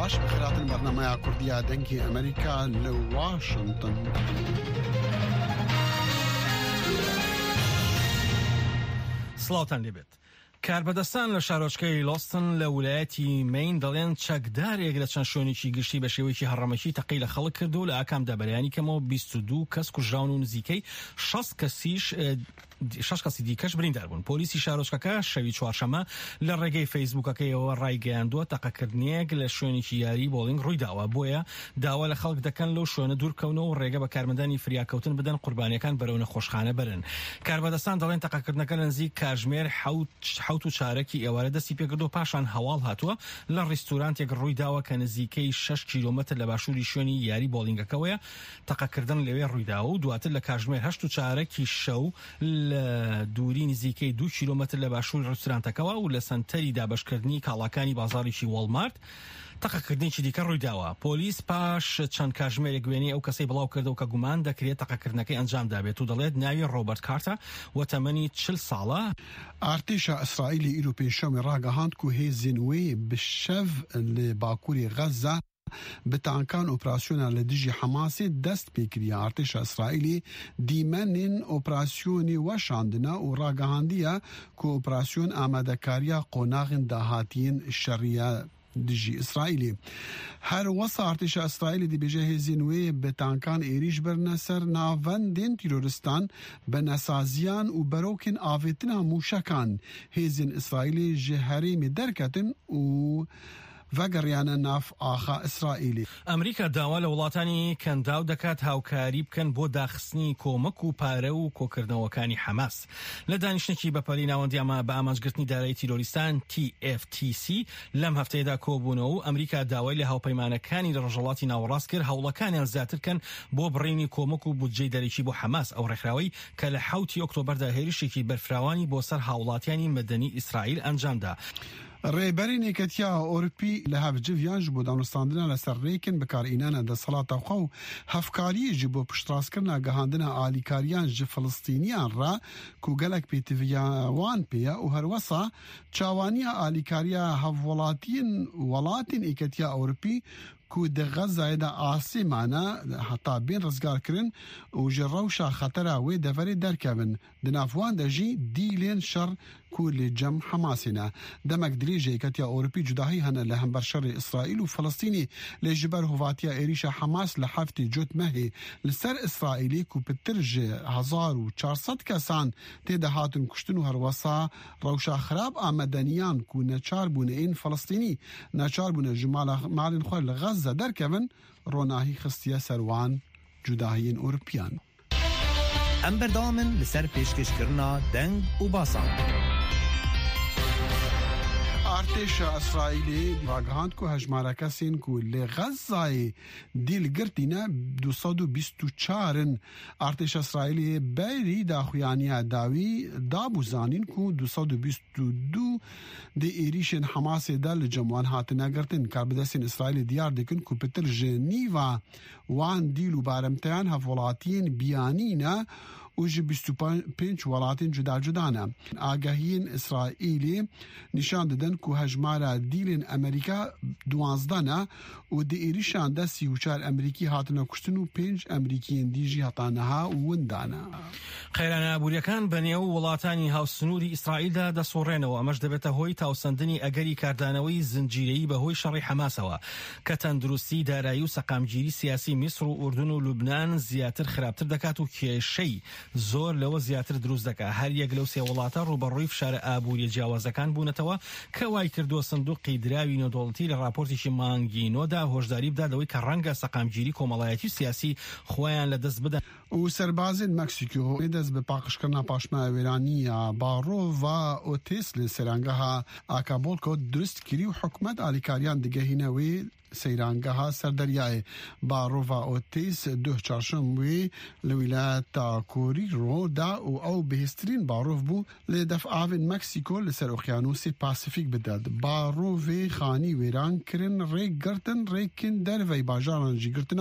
Baş bi xêr hatin bernameya Kurdî ya Dengê Amerîka li Washington. سڵاوتان لێبێت. کاربەدەستان لە شارۆچکەی لۆستن لە ولایەتی مین دەڵێن چەکدارێک لە چەند شوێنێکی گشتی بە شێوەیەکی هەڕەمەکی تەقەی لە خەڵک کرد و لە ئاکامدا بەلایەنی کەمەوە 22 کەس کوژراون و نزیکەی 60 کەسیش شەش کەسی دیکەش بریندار بوون. پۆلیسی شارۆچکەکە شەوی چوارشەممە لە ڕێگەی فەیسبووکەکەیەوە ڕایگەیاندووە، تەقەکردنێک لە شوێنێکی یاریی بۆڵینگ ڕوویداوە، بۆیە داوا لە خەڵک دەکەن لەو شوێنە دووربکەونەوە و ڕێگە بە کارمەندانی فریاکەوتن بدەن قوربانییەکان بەرەو نەخۆشخانە بەرن. کاربەدەستان دەڵێن تەقەکردنەکە لە نزیک کاژمێر حەوت و چارەکی ئێوارە دەستی پێکردووە، پاشان هەواڵ هاتووە لە ڕیستورانتێک ڕوویداوە کە نزیکەی شەش کیلۆمەتر لە باشووری شوێنی یاری بۆڵینگەکەوەیە. تەقەکردن لەوێ ڕوویداوە و دواتر لە کاژمێر هەشت و چارەکی شەو لە دووری نزیکەی دوو کیلۆمەتر لە باشووری ڕیستورانتەکەوە و لە سەنتەری دابەشکردنی کاڵاکانی بازاڕێکی وۆڵمارت تەقەکردنێکی دیکە ڕوویداوە. پۆلیس پاش چەند کاژمێرێک وێنەی ئەو کەسەی بڵاوکردەوە کە گومان دەکرێت تەقەکردنەکەی ئەنجامدابێت و دەڵێت ناوی ڕۆبەرت کارتە و تەمەنی 40 ساڵە. ئارتێشا ئیسرائیلê îro pênşemê ragihand ku hêzên wê bi şev li bakurê Xezze Bi tankan operasyona li dijî Hemasê dest pê kiriye. Artêşa Îsraîlê dîmenên operasyonê weşandine û ragihandiye ku operasyon amadekariya qonaxên dahatiyên şerî ye dijî Îsraîlê. Her wisa artêşa Îsraîlê dibêje hêzên wê bi tankan êrîş birine ser navendên tîroristan, binesaziyan û berokên avêtina mûşekan. Hêzên Îsraîlê ji herêmê derketin û ڤەگەڕیانە ناف ئاخا ئیسرائیلی. ئەمریکا داوا لە وڵاتانی کەنداو دەکات هاوکاری بکەن بۆ داخستنی کۆمەک و پارە و کۆکردنەوەکانی حەماس. لە دانیشتنێکی بەپەلەی ناوەندی بە ئامانجگرتنی دارایی تیرۆریستان، TFTC، لەم هەفتەیەدا کۆبوونەوە و ئەمریکا داوای لە هاوپەیمانەکانی لە ڕۆژهەڵاتی ناوەڕاست کرد هەوڵەکانیان زیاتر بکەن بۆ بڕینی کۆمەک و بودجەی دەرەکی بۆ حەماس، ئەو ڕێکخراوەی کە لە حەوتی ئۆکتۆبەردا هێرشێکی بەرفراوانی بۆ سەر هاوڵاتیانی مەدەنی ئیسرائیل ئەنجامدا. Rêberên Yeketiya Ewropî li hev civiyan ji bo danûstandina li ser rêkên bikaranîna desthilata xwe û hevkariyê ji bo piştrastkirina gihandina alîkariyan ji Filistîniyan re ku gelek pêtiviya wan pê ye û herwesa çawaniya alîkariya hevwelatiyên welatên Yeketiya Ewropî ku di Xezayê de asê mane heta bên rizgarkirin û ji rewşa xetera wê deverê derkevin. Di nav wan de jî dîlên şer ku li cem Hemasê ne. Demek dirêj e Yeketiya Ewropî cudahî hene li hember şerê Îsraîl û Filistînê lê ji ber hovatiya êrîşa Hemas li heftê Cotmehê li ser Îsraîlê ku pitir ji 1400 kesan tê de hatin kuştin û herwesa rewşa xirab a medeniyan ku neçar bûne ên Filistînî neçar bûne ji malên xwe li Xezze derkevin ronahî xistiye ser wan cudahiyên Ewropiyan. Em berdewam in li ser pêşkêşkirina deng û basan. Artêşa Îsraîlê ragihand ku hejmara kesên ku li Xezzayê dîl girtîne 224 in. Artêşa Îsraîlê berî daxuyaniya dawî dabû zanîn ku 222 di êrîşên Hemasê de li cem wan hatine girtin. Karbidestên Îsraîlê diyar dikin ku pitir ji nîva Wan dîl û baremteyan hevwelatiyên biyanî ne û ji 25 welatên cuda cuda ne. Agahiyên Îsraîlê nîşan didin ku hejmara dîlên Amerîka 12 ne û di êrîşan de 34 Amerîkî hatine kuştin û pênc Amerîkiyên dî jî heta niha winda ne. قەیرانە ئابوورییەکان بەنێو وڵاتانی هاوسنووری ئیسرائیلدا دەسوڕێنەوە، ئەمەش دەبێتە هۆی تاوسەندنی ئەگەری کاردانەوەی زنجیرەیی بەهۆی شەڕی حەماسەوە، کە تەندروستی، دارایی و سەقامگیری سیاسی میسر و ئوردن و لوبنان زیاتر خراپتر دەکات و کێشەی زۆر لەوە زیاتر دروست دەکات. هەریەک لەو سێ وڵاتە ڕووبەڕووی فشارە ئابووریە جیاوازەکان بوونەتەوە کە وایکردووە سندوقی دراوی نێودەوڵەتی لە ڕاپۆرتێکی مانگی نۆدا هۆشداری بدات لەوەی کە ڕەنگە سەقامگیری کۆمەڵایەتی و سیاسی خۆیان لەدەست بدەن. و سەربازên Meksîko dest bi paqijkirina paşmaya wêranî ya Barova Otis li seyrangeha Acapulco dirust kirî û hikûmet alîkariyan digehîne wê seyrangeha ser deryayê. Barova Otis duh çarşem wê li wîlayeta Guerrero da û ew bihêztirîn barov bû li defavên Meksîko li ser Okyanûsê Pasîfîk bide. Barovê xanî wêran kirin, rê girtin, rêkên dervey bajaran jî girtin.